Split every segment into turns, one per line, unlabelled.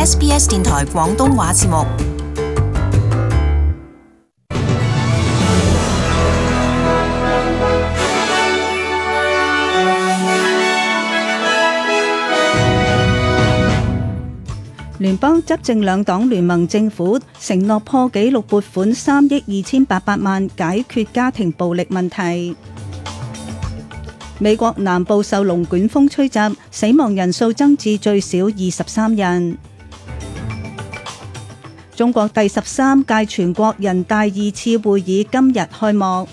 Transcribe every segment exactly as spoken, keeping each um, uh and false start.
S B S 電台廣東話節目。
聯邦執政兩黨聯盟政府承諾破紀錄撥款三億二千八百萬解決家庭暴力問題。美國南部受龍捲風吹襲，死亡人數增至最少二十三人。中國第十三屆全國人大二次會議今日開幕。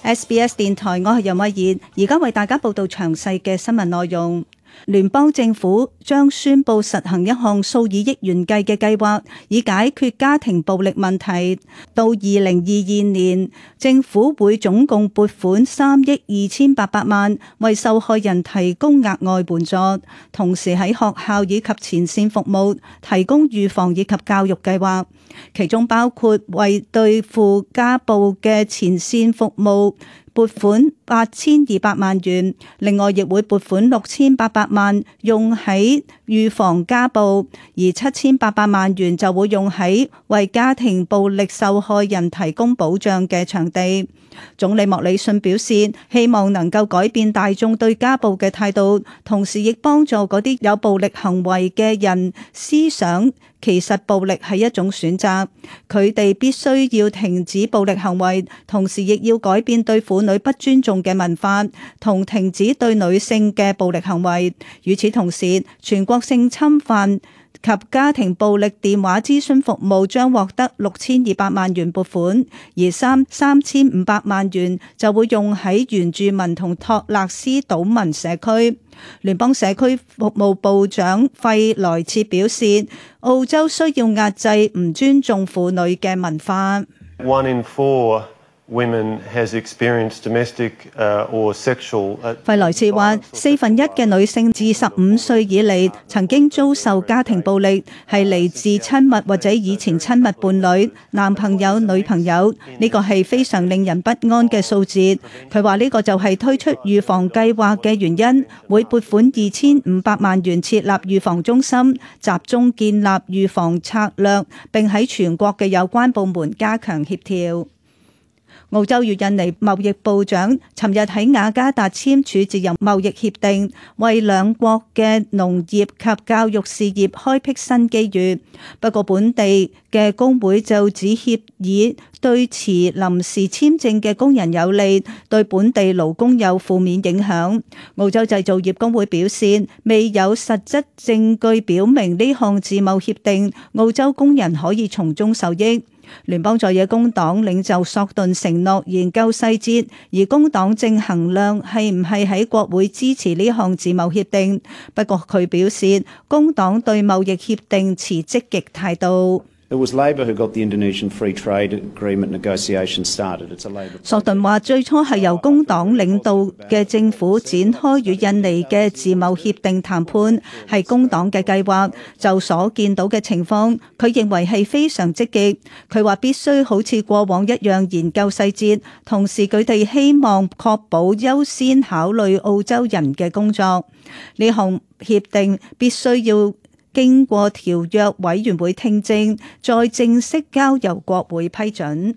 S B S 電台，我係楊慧儀，而家為大家報道詳細嘅新聞內容。聯邦政府將宣布實行一項數以億元計嘅計劃，以解決家庭暴力問題。到二零二二年，政府會總共撥款三億二千八百萬，為受害人提供額外援助，同時喺學校以及前線服務提供預防以及教育計劃，其中包括為對付家暴嘅前線服務撥款八千二百萬元，另外亦會撥款六千八百萬用喺預防家暴，而七千八百萬元就會用喺為家庭暴力受害人提供保障嘅場地。總理莫里遜表示，希望能夠改變大眾對家暴嘅態度，同時亦幫助嗰啲有暴力行為嘅人思想其實暴力係一種選擇，佢哋必須要停止暴力行為，同時亦要改變對婦女不尊重嘅文化，同停止對女性嘅暴力行為。與此同時，全國性侵犯及家庭暴力電話諮詢服務將獲得六千二百萬元撥款，而三三千五百萬元就會用喺原住民同托勒斯島民社區。聯邦社區服務部長費萊切表示，澳洲需要壓制唔尊重婦女嘅文化。
One in four women has experienced domestic or sexual。
費萊切話，四分一嘅女性自十五歲以嚟曾經遭受家庭暴力，係嚟自親密或者以前親密伴侶、男朋友、女朋友，呢個係非常令人不安嘅數字。佢話呢個就係推出預防計劃嘅原因，會撥款二千五百萬元設立預防中心，集中建立預防策略，並喺全國嘅有關部門加強協調。澳洲與印尼貿易部長尋日喺雅加達簽署自由貿易協定，為兩國嘅農業及教育事業開闢新機遇。不過本地嘅工會就指協議對持臨時簽證嘅工人有利，對本地勞工有負面影響。澳洲製造業工會表示，未有實質證據表明呢項自貿協定澳洲工人可以從中受益。聯邦在野工黨領袖索頓承諾研究細節，而工黨正衡量係唔係喺國會支持呢項自貿協定。不過佢表示，工黨對貿易協定持積極態度。
It was Labor who got the Indonesian Free Trade Agreement negotiations started. It's a Labor。
索頓話，最初係由工黨領導嘅政府展開與印尼嘅自貿協定談判，係工黨嘅計劃。就所見到嘅情況，佢認為係非常積極。佢話必須好似過往一樣研究細節，同時佢哋希望確保優先考慮澳洲人嘅工作。呢項協定必須要經過條約委員會聽證，再正式交由國會批准。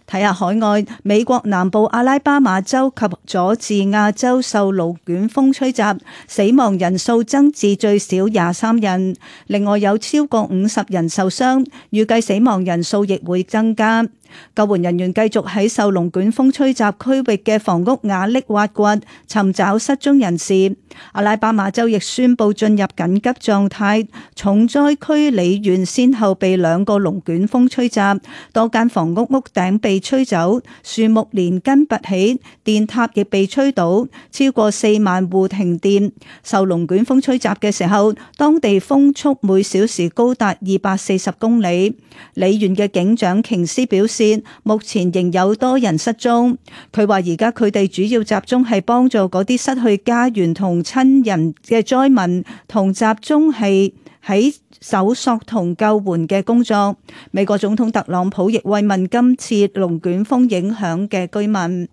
睇下海外，美國南部阿拉巴馬州及佐治亞州受龍捲風吹襲，死亡人數增至最少廿三人，另外有超過五十人受傷，預計死亡人數亦會增加。救援人員繼續喺受龍捲風吹襲區域嘅房屋瓦礫挖掘，尋找失蹤人士。阿拉巴馬州亦宣布進入緊急狀態，重災區里縣先後被兩個龍捲風吹襲，多間房屋屋頂被吹走，樹木連根拔起，電塔亦被吹倒，超過四萬戶停電。受龍捲風吹襲嘅時候，當地風速每小時高達二百四十公里。里縣嘅警長瓊斯表示，目前仍有多人失蹤。佢話而家佢哋主要集中係幫助嗰啲失去家園同親人嘅災民，同集中係喺搜索同救援嘅工作。美國總統特朗普亦慰問今次龍捲風影響嘅居民。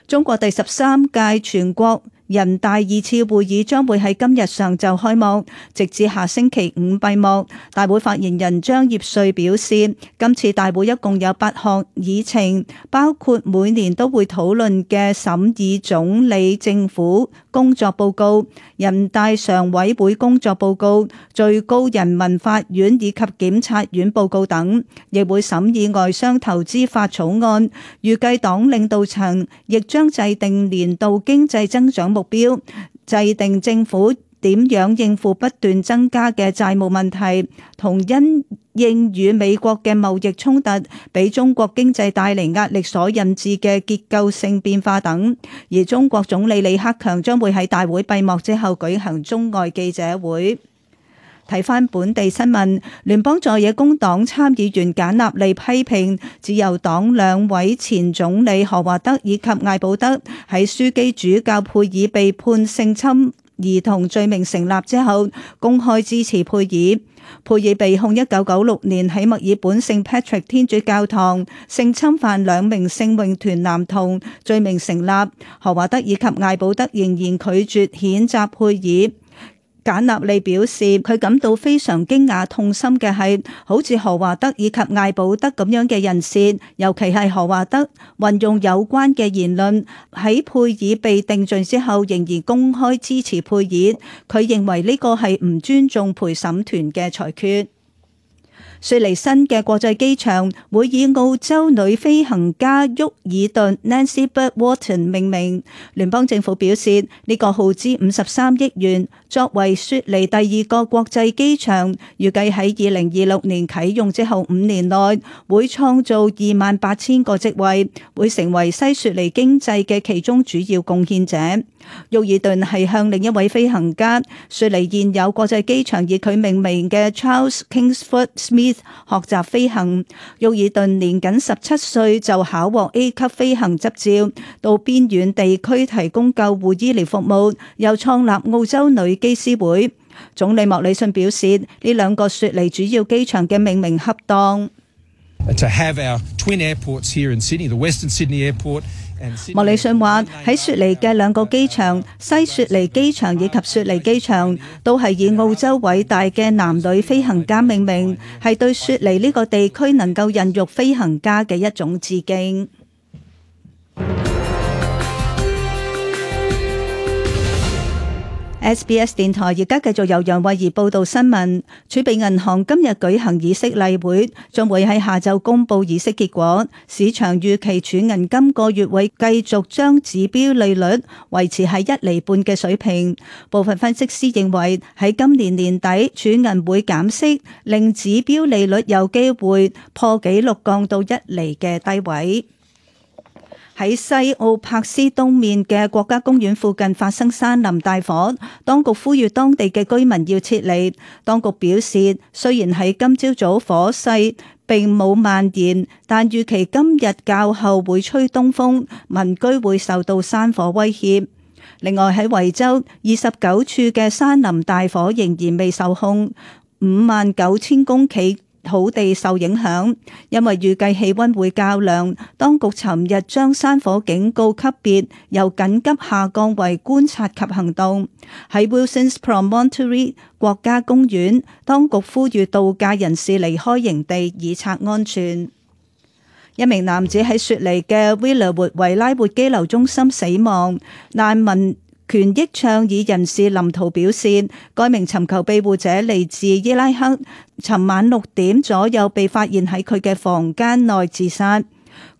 中國第十三屆全國人大二次會議將會喺今日上晝開幕，直至下星期五閉幕。大會發言人張業遂表示，今次大會一共有八項議程，包括每年都會討論嘅審議總理政府工作報告、人大常委會工作報告、最高人民法院以及檢察院報告等，亦會審議外商投資法草案。預計黨領導層亦將制定年度經濟增長目標，制定政府點樣應付不斷增加嘅債務問題，同因應與美國嘅貿易衝突俾中國經濟帶嚟壓力所引致嘅結構性變化等。而中國總理李克強將會喺大會閉幕之後舉行中外記者會。睇返本地新聞，聯邦在野工黨參議員簡納利批評自由黨兩位前總理何華德以及艾保德喺樞機主教佩爾被判性侵兒童罪名成立之後，公開支持佩爾。佩爾被控一九九六年喺墨爾本聖 Patrick 天主教堂性侵犯兩名聖詠團男童，罪名成立。何華德以及艾保德仍然拒絕譴責佩爾。簡納利表示，佢感到非常驚訝痛心嘅係，好似何華德以及艾保德咁樣嘅人士，尤其係何華德，運用有關嘅言論喺佩爾被定罪之後，仍然公開支持佩爾。佢認為呢個係唔尊重陪審團嘅裁決。雪梨新嘅國際機場會以澳洲女飛行家沃爾頓 Nancy Bird Walton 命名。聯邦政府表示，呢個耗資五十三億元，作為雪梨第二個國際機場，預計喺二零二六年啟用之後五年內會創造二萬八千個職位，會成為西雪梨經濟嘅其中主要貢獻者。沃爾頓係向另一位飛行家，雪梨現有國際機場以佢命名嘅 Charles Kingsford Smith 學習飛行。沃爾頓年僅十七歲就考獲 A 級飛行執照，到邊遠地區提供救護醫療服務，又創立澳洲女機師會。總理莫里遜表示，呢兩個雪梨主要機場嘅命名恰當。
To have our twin airports here in Sydney, the Western Sydney Airport.
莫里遜話喺雪梨嘅兩個機場，西雪梨機場以及雪梨機場，都係以澳洲偉大嘅男女飛行家命名，係對雪梨呢個地區能夠孕育飛行家嘅一種致敬。S B S 電台而家繼續由楊慧儀報道新聞。儲備銀行今日舉行議息例會，將會喺下晝公布議息結果。市場預期儲銀今個月會繼續將指標利率維持喺一厘半嘅水平。部分分析師認為喺今年年底儲銀會減息，令指標利率有機會破紀錄降到一厘嘅低位。喺西澳柏斯東面嘅國家公園附近發生山林大火，當局呼籲當地嘅居民要撤離。當局表示，雖然喺今朝早火勢並冇蔓延，但預期今日較後會吹東風，民居會受到山火威脅。另外喺維州，二十九處嘅山林大火仍然未受控，五萬九千公頃土地受影響，因為預計氣溫會較涼，當局尋日將山火警告級別由緊急下降為觀察及行動。喺 Wilson's Promontory 國家公園，當局呼籲度假人士離開營地以策安全。一名男子喺雪梨嘅 Villawood 維拉活羈留中心死亡，難民權益倡議人士林圖表示，該名尋求庇護者嚟自伊拉克，尋晚六點左右被發現喺佢嘅房間內自殺。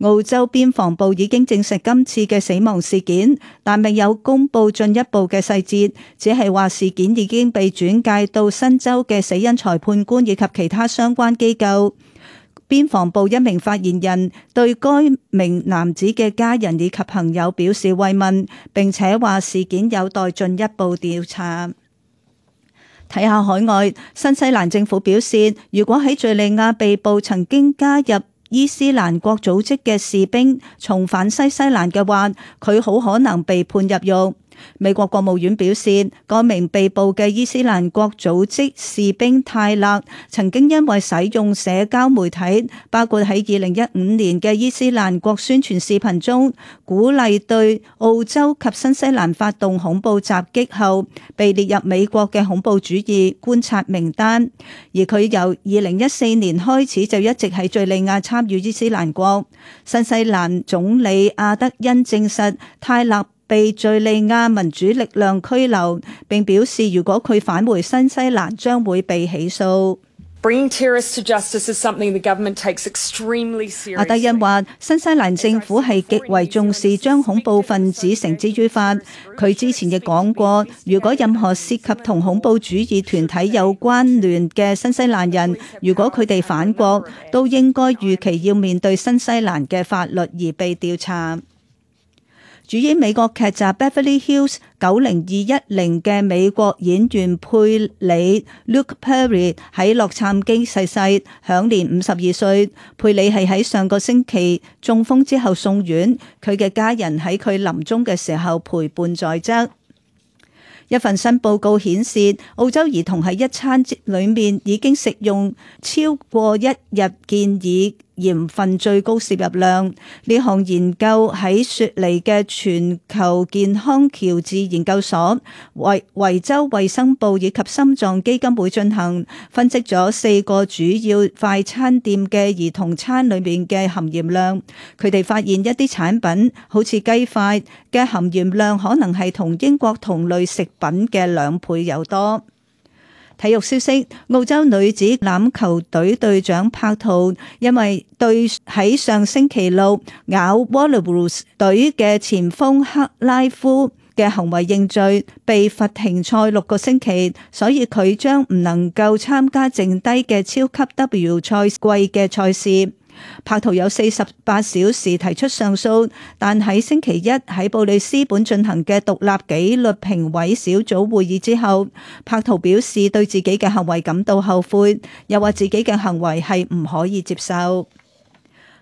澳洲邊防部已經證實今次嘅死亡事件，但未有公布進一步嘅細節，只係話事件已經被轉介到新州嘅死因裁判官以及其他相關機構。邊防部一名發言人對該名男子嘅家人以及朋友表示慰問，並且話事件有待進一步調查。睇下海外，新西蘭政府表示，如果喺敘利亞被捕曾經加入伊斯蘭國組織嘅士兵重返西西蘭嘅話，佢好可能被判入獄。美國國務院表示，該名被捕嘅伊斯蘭國組織士兵泰勒曾經因為使用社交媒體，包括喺二零一五年嘅伊斯蘭國宣傳視頻中鼓勵對澳洲及新西蘭發動恐怖襲擊後，被列入美國嘅恐怖主義觀察名單。而佢由二零一四年開始就一直喺敘利亞參與伊斯蘭國。新西蘭總理阿德恩證實泰勒被敘利亞民主力量拘留，並表示如果佢返回新西蘭將會被起訴。阿德恩話：新西蘭政府係極為重視將恐怖分子繩之於法。佢之前亦講過，如果任何涉及同恐怖主義團體有關聯嘅新西蘭人，如果佢哋返國，都應該預期要面對新西蘭嘅法律而被調查。主演美國劇集《Beverly Hills 九零二一零》嘅美國演員佩里 Luke Perry 喺洛杉磯逝世，享年五十二歲。佩里係喺上個星期中風之後送院，佢嘅家人喺佢臨終嘅時候陪伴在側。一份新報告顯示，澳洲兒童喺一餐裏面已經食用超過一日建議鹽分最高攝入量。呢項研究喺雪梨嘅全球健康喬治研究所、維維州衛生部以及心臟基金會進行，分析咗四個主要快餐店嘅兒童餐裏面嘅含鹽量。佢哋發現一啲產品，好似雞塊嘅含鹽量可能係同英國同類食品嘅兩倍有多。體育消息，澳洲女子欖球隊隊長柏圖因為對喺上星期六咬 Wallaroos 隊嘅前鋒克拉夫嘅行為認罪，被罰停賽六個星期，所以佢將唔能夠參加剩低嘅超級 W 賽季嘅賽事。柏圖有四十八小時提出上訴，但喺星期一喺布里斯本進行嘅獨立紀律評委小組會議之後，柏圖表示對自己嘅行為感到後悔，又話自己嘅行為係唔可以接受。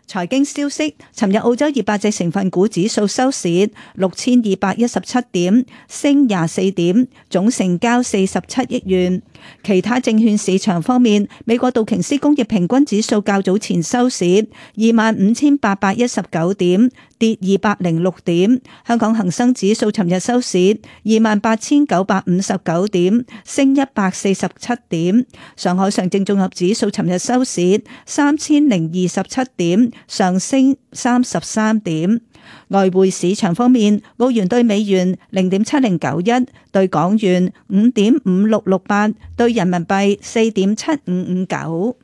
財經消息，尋日澳洲二百隻成分股指數收市六千二百一十七點，升廿四點，總成交四十七億元。其他證券市場方面，美國道瓊斯工業平均指數較早前收市二萬五千八百一十九點，跌二百零六點。香港恒生指數尋日收市二萬八千九百五十九點，升一百四十七點。上海上證綜合指數尋日收市三千零二十七點，上升三十三點。外匯市場方面，澳元對美元零點七零九一，對港元五點五六六八，對人民幣四點七五五九。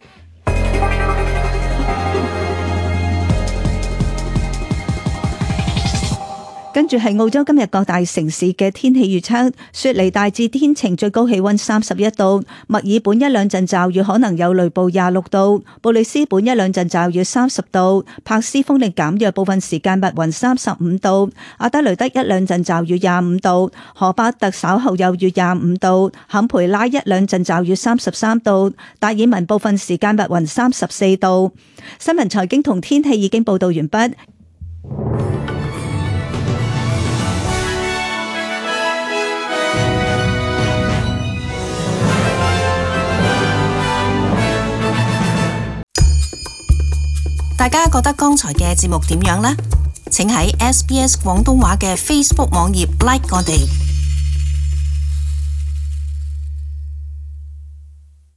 跟住係澳洲今日各大城市嘅天氣預測：雪梨大致天晴，最高氣溫三十一度；墨爾本一兩陣驟雨，可能有雷暴，廿六度；布里斯本一兩陣驟雨，三十度；柏斯風力減弱，部分時間密雲，三十五度；阿德雷德一兩陣驟雨，廿五度；荷巴特稍後有雨，廿五度；坎培拉一兩陣驟雨，三十三度；達爾文部分時間密雲，三十四度。新聞財經同天氣已經報道完畢。
大家覺得剛才嘅節目點樣呢？請喺 S B S 廣東話嘅 Facebook 網頁 like 我哋。